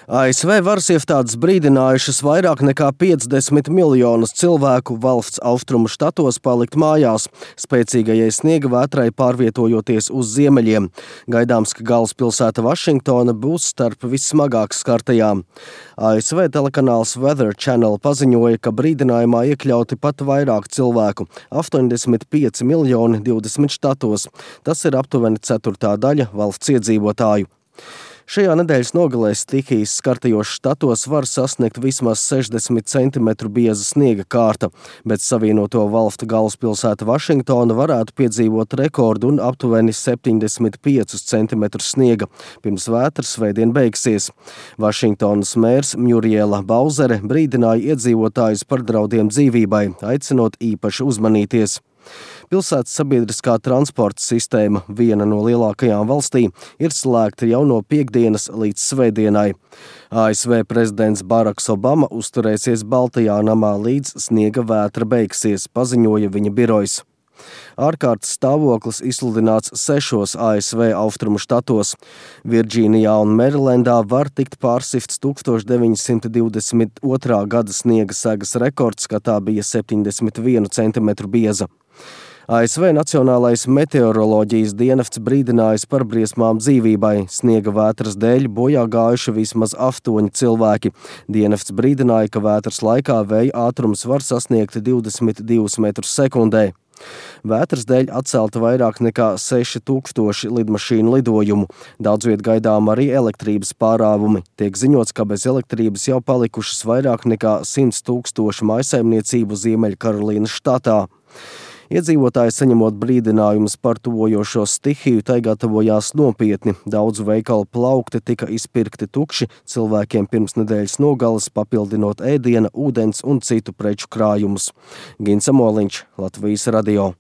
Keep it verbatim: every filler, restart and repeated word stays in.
A S V varas iestādes brīdinājušas vairāk nekā piecdesmit miljonus cilvēku valsts austrumu štatos palikt mājās, spēcīgajai sniega vētrai pārvietojoties uz ziemeļiem. Gaidāms, ka galvaspilsēta Vašingtona būs starp vissmagāk skartajām. A S V telekanāls Weather Channel paziņoja, ka brīdinājumā iekļauti pat vairāk cilvēku – astoņdesmit pieci miljoni divdesmit štatos. Tas ir aptuveni ceturtā daļa valsts iedzīvotāju. Šajā nedēļas nogalē stihijas skartajos štatos var sasniegt vismaz sešdesmit centimetru bieza sniega kārta, bet Savienoto valstu galvaspilsēta Vašingtona varētu piedzīvot rekordu un aptuveni septiņdesmit piecus centimetrus sniega, pirms vētras svētdien beigsies. Vašingtonas mērs Muriela Bauzere brīdināja iedzīvotājus par draudiem dzīvībai, aicinot īpaši uzmanīties. Pilsētas sabiedriskā transporta sistēma, viena no lielākajām valstī, ir slēgta jau no piektdienas līdz svētdienai. A S V prezidents Baraks Obama uzturēsies Baltajā namā līdz sniega vētra beigsies, paziņoja viņa birojs. Ārkārtas stāvoklis izsludināts sešos A S V austrumu štatos. Virdžīnijā un Merilendā var tikt pārsifts tūkstoš deviņi simti divdesmit otrā gada sniega segas rekords, kad tā bija septiņdesmit vienu centimetru bieza. A S V Nacionālais meteoroloģijas dienests brīdinājis par briesmām dzīvībai. Sniega vētras dēļ bojā gājuši vismaz astoņi cilvēki. Dienests brīdināja, ka vētras laikā vēja ātrums var sasniegt divdesmit divus metrus sekundē. Vētras dēļ atcelta vairāk nekā seši tūkstoši lidmašīnu lidojumu. Daudz viet gaidām arī elektrības pārāvumi. Tiek ziņots, ka bez elektrības jau palikušas vairāk nekā simts tūkstoši mājsaimniecību Ziemeļkarolīnas štatā. Iedzīvotāji, saņemot brīdinājumus par tuvojošo stihiju, tai gatavojās nopietni. Daudzu veikalu plaukti tika izpirkti tukši, cilvēkiem pirms nedēļas nogales papildinot ēdiena, ūdens un citu preču krājumus. Gins Amoliņš, Latvijas radio.